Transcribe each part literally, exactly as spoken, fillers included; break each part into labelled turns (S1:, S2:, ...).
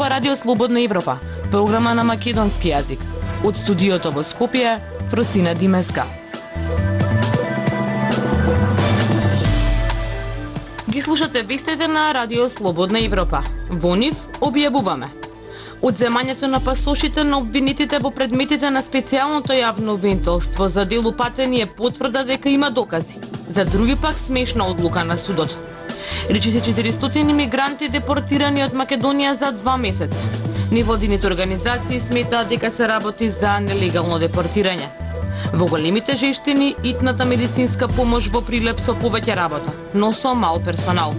S1: ова Радио Слободна Европа, програма на македонски јазик. Од студиото во Скопје, Фросина Димеска. Ги слушате вестите на Радио Слободна Европа. Во нив објавуваме одземањето на пасошите на обвинетите во предметите на специјалното јавно обвинителство за дело патење е потврда дека има докази. За други пак смешна одлука на судот. Речи се четиристотини мигранти депортирани од Македонија за два месеца. Невладините организации сметаат дека се работи за нелегално депортирање. Во големите жештини итната медицинска помош во Прилеп со повеќе работа, но со мал персонал.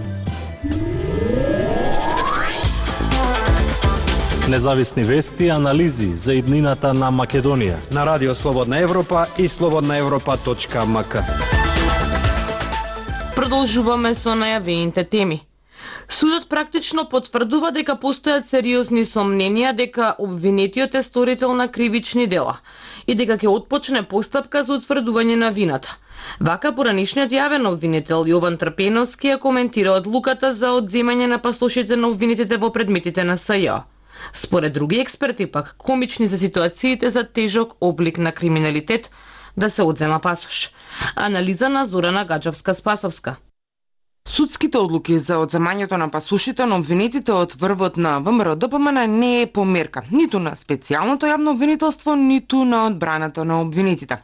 S2: Независни вести и анализи за иднината на Македонија
S3: на Радио Слободна Европа и слободна европа точка ем ка.
S1: Продолжуваме со најавените теми. Судот практично потврдува дека постојат сериозни сомненија дека обвинетиот е сторител на кривични дела и дека ќе отпочне постапка за утврдување на вината. Вака поранишниот јавен обвинител Јован Трпеновски ја коментира одлуката за одземање на пасошите на обвинетите во предметите на С Ј. Според други експерти пак, комични се ситуациите за тежок облик на криминалитет да се одзема пасош. Анализа на Зорана Гаджевска-Спасовска.
S4: Судските одлуки за одземањето на пасошите на обвинетите од врвот на Вэ Ем Р Д П М Н не е померка ниту на специјалното јавно обвинителство, ниту на одбраната на обвинетите.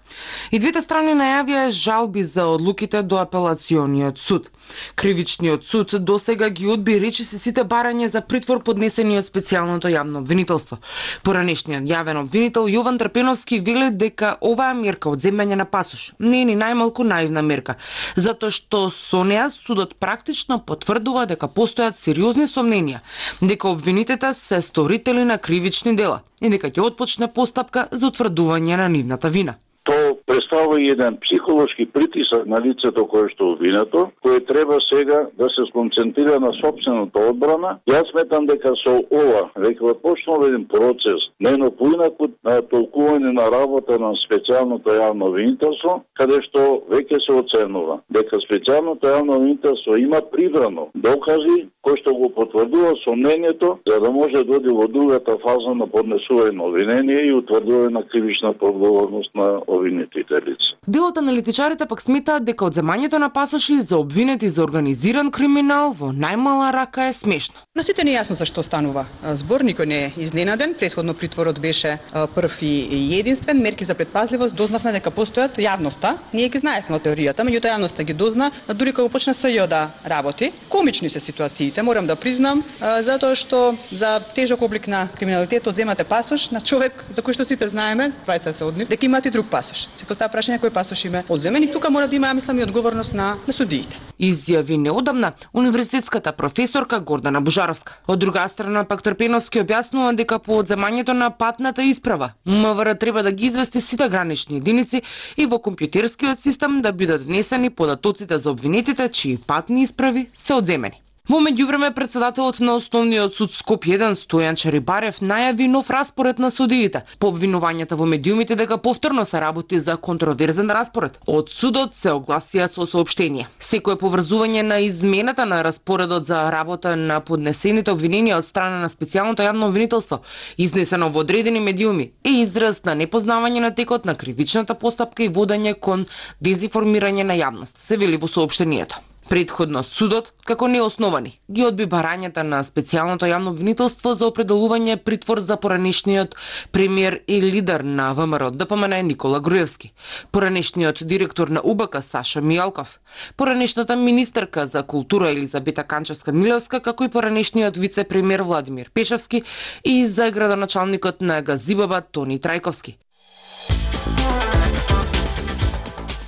S4: И двете страни најавија жалби за одлуките до апелациониот суд. Кривичниот суд досега ги одби речиси сите барања за притвор поднесени од специјалното јавно обвинителство. Поранешниот јавен обвинител Јован Трпеновски вели дека оваа мерка одземање на пасош не е ни најмалку наивна мерка, затоа што со неа судот практично потврдува дека постојат сериозни сомненија дека обвинетите се сторители на кривични дела и дека ќе отпочне постапка за утврдување на нивната вина.
S5: То представува еден психолошки притисак на лицето кое што обвинето, кое треба сега да се сконцентрира на сопствената одбрана. Јас сметам дека со ова веќе почнува еден процес, нено поинаку на толкување на работа на специјалното јавно обвинителство, каде што веќе се оценува дека специјалното јавно обвинителство има прибрано докази кои што го потврдува сомнението за да може да оди во другата фаза на поднесување на обвинение и утврдување на кривичната одговорност на обвинетите лица.
S4: Дел од аналитичарите пак сметаат дека одземањето на пасоши за обвинети за организиран криминал во најмала рака е смешно.
S6: На сите не е јасно зашто станува збор, никој не е изненаден. Претходно притворот беше прв и единствен. Мерки за предпазливост дознавме дека постојат јавноста. Ние ги знаевме од теоријата, меѓутоа јавноста ги дозна дури кога почна С Ј да работи. Комични се ситуациите, морам да признам, затоа што за тежок облик на криминалитет одземате пасош на човек за кој што сите знаеме, двајца се од нив, дека имаат и друг пасош. Се поставува прашање кој пасош има одземен и тука мора да има, мислам, и одговорност на, на судиите.
S4: Изјави неодамна универзитетската професорка Гордана Божаровска. Од друга страна пак Трпеновски објаснува дека по одземањето на патната исправа М В Р треба да ги извести сите гранични единици и во компјутерскиот систем да бидат внесени податоците за обвинетите чии патни исправи се одземени. Во меѓувреме председателот на Основниот суд Скопје еден Стојан Чарибарев најави нов распоред на судиите по обвинувањата во медиумите дека повторно се работи за контроверзен распоред. Од судот се огласија со соопштение. Секое поврзување на измената на распоредот за работа на поднесените обвиненија од страна на специјалното јавно обвинителство, изнесено во одредени медиуми, е израз на непознавање на текот на кривичната постапка и водење кон дезинформирање на јавност, се вели во соопштението. Предходно судот, како неосновани, ги одби барањата на специјалното јавно обвинителство за определување притвор за поранешниот премиер и лидер на Вэ Ем Р Д П М Н Никола Груевски, поранешниот директор на У Б К Саша Мијалков, поранешната министерка за култура Елизабета Канчевска-Милевска, како и поранешниот вице-премиер Владимир Пешевски и за градоначалникот на Г З И Б Б Тони Трајковски.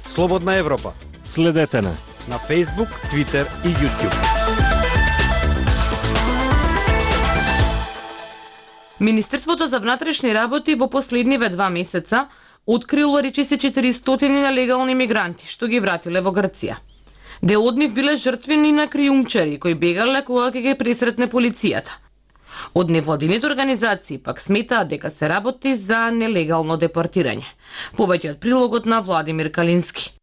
S3: Слободна Европа.
S2: Следете на
S3: на Facebook, Twitter и YouTube.
S1: Министерството за внатрешни работи во последниве два месеца открило речиси четиристотини нелегални мигранти што ги вратиле во Грција. Дел од нив биле жртвени на криумчари кои бегале кога ќе ги пресретне полицијата. Од невладините организации пак сметаат дека се работи за нелегално депортирање. Повеќе од прилогот на Владимир Калински.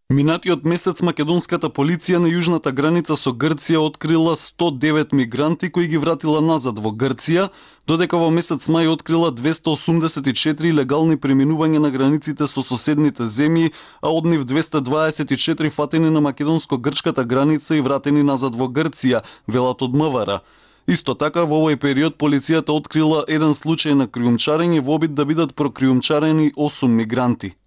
S7: Минатиот месец македонската полиција на јужната граница со Грција открила сто девет мигранти кои ги вратила назад во Грција, додека во месец мај открила двесте осумдесет и четири легални преминувања на границите со соседните земји, а од нив двесте дваесет и четири фатени на македонско-грчката граница и вратени назад во Грција, велат од МВР. Исто така, во овој период полицијата открила еден случај на криумчарење во обид да бидат прокриумчарени осум мигранти.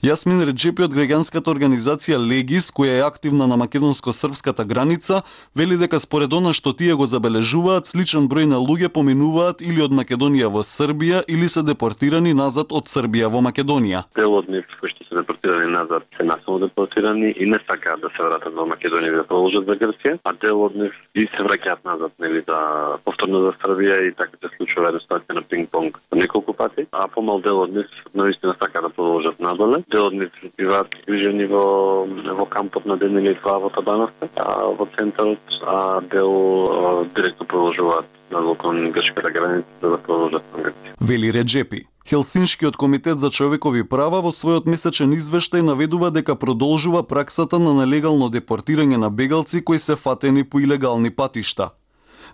S7: Јасмин Реджепи од граѓанската организација Легис, која е активна на македонско-српската граница, вели дека според она што тие го забележуваат, сличен број на луѓе поминуваат или од Македонија во Србија или се депортирани назад од Србија во Македонија.
S8: Дел од нив кои што се депортирани назад се насилно депортирани и не сакаат да се вратат во Македонија да продолжат за Грција, а дел од нив и се враќаат назад, нели, да повторно за Србија и така се случува една ситуација на пинг-понг неколку пати, а помал дел од нив наистина сакаат да продолжат надоле. Дел од нив биваат движени во во кампот на ден или два во Табановка, а во центарот, а дел а, директно продолжуваат на кон грчката граница да продолжат на Грција.
S7: Вели Реджепи. Хелсиншкиот комитет за човекови права во својот месечен извештај наведува дека продолжува праксата на нелегално депортирање на бегалци кои се фатени по илегални патишта.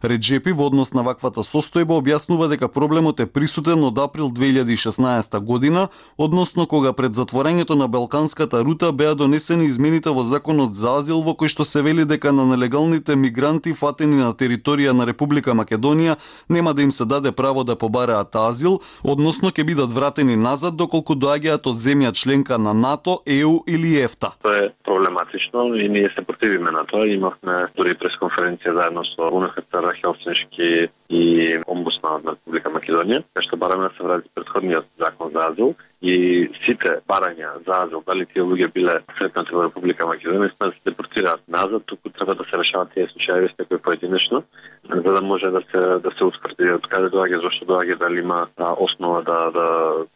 S7: Реджепи во однос на ваквата состојба објаснува дека проблемот е присутен од април две илјади и шеснаесета година, односно кога пред затворањето на Балканската рута беа донесени измените во Законот за азил во кој што се вели дека на нелегалните мигранти фатени на територија на Република Македонија нема да им се даде право да побараат азил, односно ќе бидат вратени назад доколку доаѓаат од земја членка на НАТО, Е У или ЕФТА.
S8: Тоа е проблематично и ние се противиме на тоа. Имавме дури пресконференција заедно со У Ен Ха Це Ар, Хелсиншки и омбудсманот на Република Македонија, кај што бараме да се врати претходниот закон за азил и сите барања за азил, дали тие луѓе биле сретнати во Република Македонија, да се депортираат назад, туку треба да се решават тие случаи секој поединечно, за да може да се да се утврди од каде доаѓа, зошто доаѓа, дали има а, основа да, да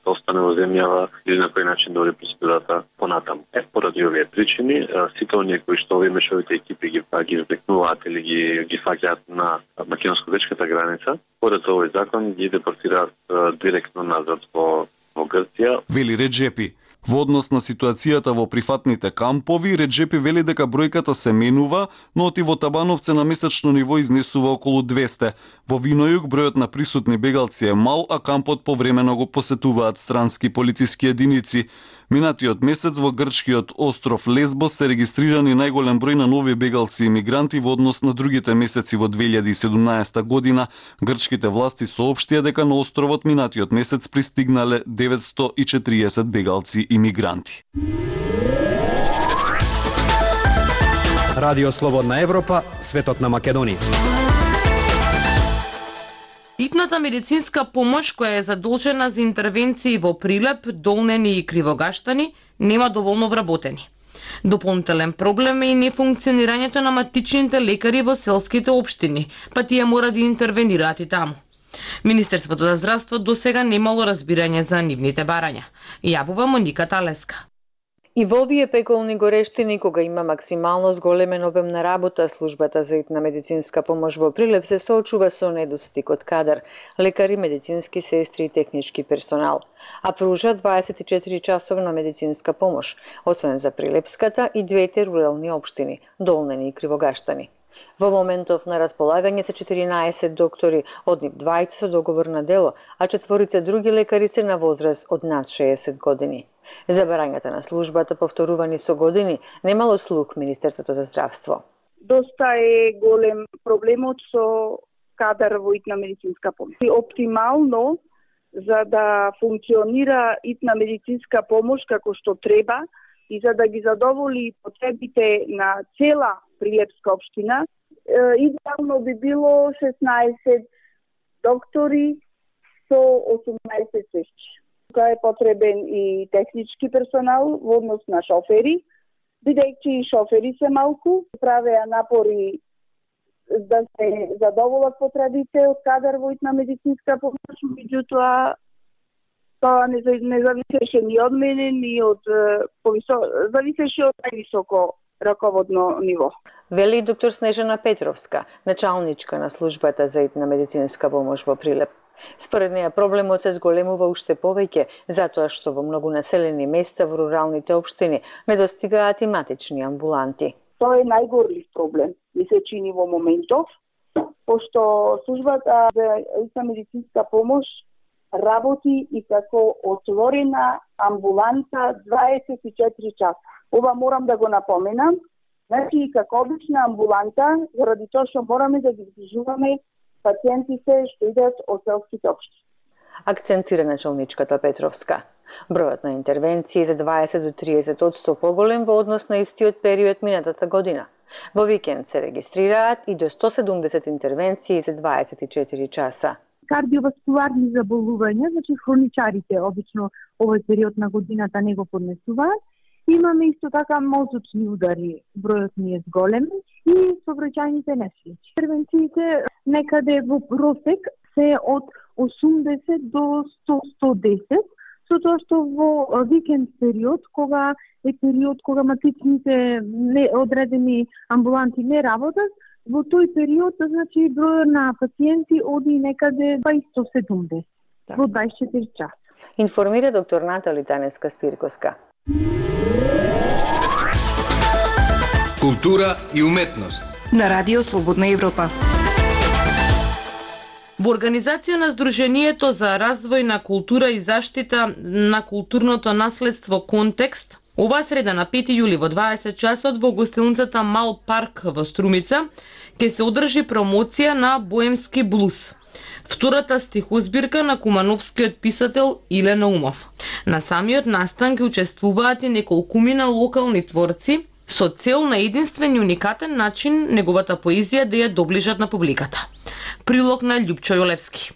S8: да остане во земјава или на кој начин да оди процедурата понатаму. Е, поради овие причини, а, сите оние кои што овие мешовите екипи ги ги втекнуваат или ги ги фаќаат на македонско-грчката граница, според овој закон ги депортираат а, директно назад во во Грција.
S7: Вели Реджепи. Во однос на ситуацијата во прифатните кампови, Реджепи вели дека бројката се менува, но оти во Табановце на месечно ниво изнесува околу двесте. Во Винојук бројот на присутни бегалци е мал, а кампот повремено го посетуваат странски полициски единици. Минатиот месец во грчкиот остров Лесбос се регистрирани најголем број на нови бегалци и мигранти во однос на другите месеци во две илјади и седумнаесета година. Грчките власти соопштија дека на островот минатиот месец пристигнале деветсто и четириесет бегалци и мигранти.
S3: Радио Слободна Европа, светот на Македонија.
S1: Итната медицинска помош која е задолжена за интервенции во Прилеп, Долнени и Кривогаштани нема доволно вработени. Дополнителен проблем е и нефункционирањето на матичните лекари во селските општини, па тие мора да интервенираат и таму. Министерството за здравство досега немало разбирање за нивните барања. Јавува Моника Талеска.
S9: И во овие пеколни горештини, кога има максимално зголемен обем на работа, службата за итна медицинска помош во Прилеп се соочува со недостиг од кадар, лекари, медицински сестри и технички персонал, а пружа дваесет и четири часовна медицинска помош, освен за Прилепската и двете рурални општини, Долнени и Кривогаштани. Во моментов на располагање се четиринаесет доктори, од нив двајца со договор на дело, а четворица други лекари се на возраст од над шеесет години. За барањата на службата, повторувани со години, немало слух Министерството за здравство.
S10: Доста е голем проблемот со кадар во итна медицинска помош. Оптимално, за да функционира итна медицинска помош како што треба и за да ги задоволи потребите на цела Прилепска општина, идеално би било шеснаесет доктори со осумнаесет сестри. Тука е потребен и технички персонал во однос на шофери, бидејќи и шофери се малку, правеа напори да се задоволат потребите од кадар во итна медицинска помош, меѓутоа тоа не, не зависеше ни од мене, ни од повисо... зависеше од највисоко раководно ниво.
S9: Вели доктор Снежана Петровска, началничка на службата за итна медицинска помош во Прилеп. Според неја проблемот се зголемува уште повеќе, затоа што во многу населени места во руралните општини недостигаат и матични амбуланти.
S10: Тоа е најгорлив проблем, ми се чини во моментов, пошто службата за лична медицинска помош работи и како отворена амбуланта дваесет и четири часа. Ова морам да го напоменам. Значи, како обична амбуланта, заради тоа што мораме да ги движуваме пациентите што идат од селските општини.
S9: Акцентира началничката Петровска. Бројот на интервенции за дваесет до триесет одсто поголем во однос на истиот период минатата година. Во викенд се регистрираат и до сто седумдесет интервенции за дваесет и четири часа.
S11: Кардиоваскуларни заболувања, значи хроничарите обично овој период на годината не го поднесуваат. Имаме исто така мозочни удари, бројот ни е зголем и сообраќајните несреќи. Интервенциите некаде во просек се од осумдесет до сто до сто и десет, со тоа што во викенд период, кога е период кога матичните одредени амбуланти не работат, во тој период, значи, бројот на пациенти оди некаде па и сто седумдесет во дваесет и четири часа.
S9: Информира доктор Натали Таневска-Спирковска.
S12: Култура и уметност
S13: на Радио Слободна Европа.
S1: Во организација на Сдруженијето за развој на култура и заштита на културното наследство Контекст, оваа среда на пети јули во дваесет часот во гостилницата Мал Парк во Струмица ќе се одржи промоција на Боемски блуз, втората стихозбирка на кумановскиот писател Иле Наумов. На самиот настан ќе учествуваат и неколкумина локални творци со цел на единствен и уникатен начин неговата поезија да ја доближат на публиката. Прилог на Љупчо Јолевски.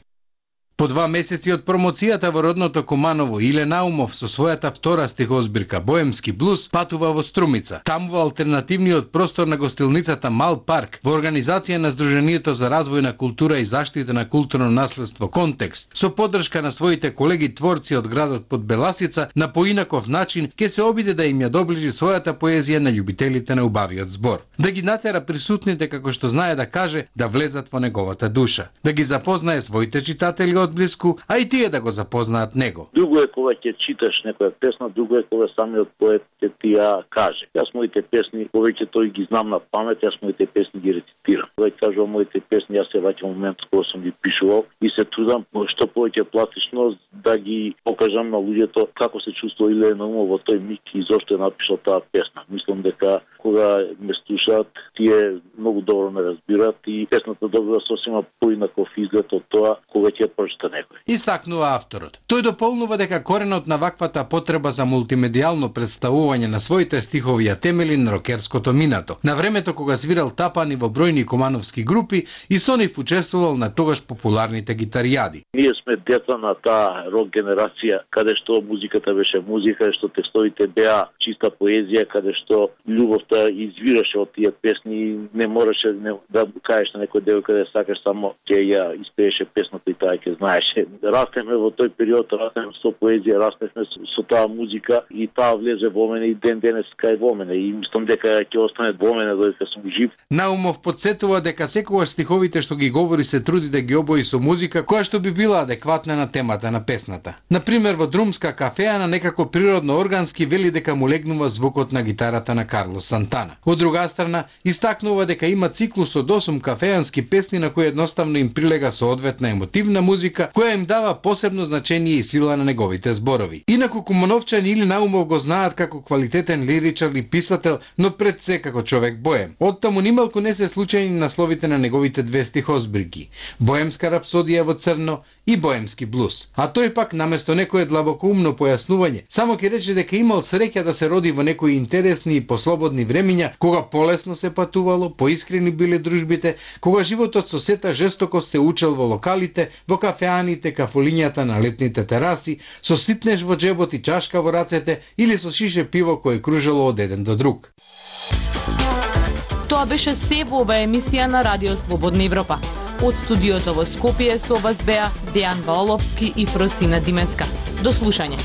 S12: По два месеци од промоцијата во родното Куманово, Иле Наумов со својата втора стихозбирка Боемски блуз патува во Струмица. Таму во алтернативниот простор на гостилницата Мал Парк, во организација на Сдруженијето за развој на култура и заштита на културно наследство Контекст, со поддршка на своите колеги творци од градот Подбеласица, на поинаков начин ќе се обиде да им ја доближи својата поезија на љубителите на убавиот збор. Да ги натера присутните, како што знае да каже, да влезат во неговата душа, да ги запознае своите читатели одблиску, а и тие да го запознаат него.
S5: Друго е кога ќе читаш некоја песна, друго е кога самиот поет ќе ти ја каже. Јас моите песни, повеќе тој ги знам на памет, јас моите песни ги рецитирам. Кога кажувам моите песни, јас се враќам момент кога сум ги пишувал и се трудам што повеќе пластично да ги покажам на луѓето како се чувствува Иле Наумов во тој миг и зошто е напишал таа песна. Мислам дека кога ме слушаат, тие многу добро ме разбираат и песната добива сосема поинаков изглед од тоа кога ќе прочита некој.
S12: Истакнува авторот. Тој дополнува дека коренот на ваквата потреба за мултимедијално представување на своите стихови ја темели на рокерското минато. На времето кога свирал тапани во бројни кумановски групи и со нив учествувал на тогаш популарните гитаријади.
S5: Ние сме деца на таа рок генерација, каде што музиката беше музика, што текстовите беа чиста поезија, каде што љубовта извираше од тие песни, не можеше не, да кажеш на некој девојка да сакаш, само ќе ја испееше песната и таа ќе знаеше. Растеме во тој период, растеме со поезија, растеме со, со таа музика и таа влезе во мене и ден денес кај во мене и мислам дека ќе остане во мене додека сум жив.
S12: Наумов подсетува дека секогаш стиховите што ги говори се труди да ги обои со музика која што би била адекватна на темата на песната. Например, во Друмска кафеа некако природно органски вели дека му легнува звукот на гитарата на Карлос Сантана. Од друга страна, истакнува дека има циклус од осум кафеански песни на кои едноставно им прилега соодветна емотивна музика која им дава посебно значење и сила на неговите зборови. Инаку кумановчани Иле Наумов го знаат како квалитетен лиричар и писател, но пред се како човек боем. Оттаму нималку не се случајни насловите на неговите две стихозбирки: Боемска рапсодија во црно и Боемски блуз. А тој пак наместо некое длабокоумно појаснување, само ќе рече дека имал среќа да се роди во некои интересни и послободни времиња, кога полесно се патувало, поискрени биле дружбите, кога животот со сета жестокост се учел во локалите, во кафеаните, кафулињата на летните тераси, со ситнеш во джебот и чашка во рацете или со шише пиво кое кружело од еден до друг.
S1: Тоа беше се во оваа емисија на Радио Слободна Европа. Од студиото во Скопје со вас беа Дејан Валовски и Фростина Димеска. До слушање.